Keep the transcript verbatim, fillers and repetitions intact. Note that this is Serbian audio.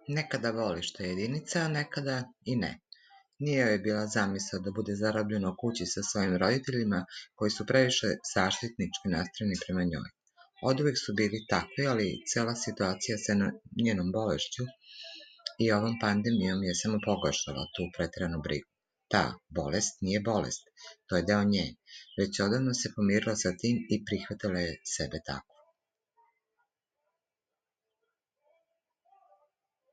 Nekada voli što je jedinica, a nekada i ne. Nije joj bila zamisao da bude zarobljena u kući sa svojim roditeljima koji su previše zaštitnički nastrojeni prema njoj. Oduvek su bili takvi, ali cela situacija sa njenom bolešću i ovom pandemijom je samo pogoršala tu preteranu brigu. Ta bolest nije bolest, to je deo nje, već odavno se pomirila sa tim i prihvatila je sebe tako.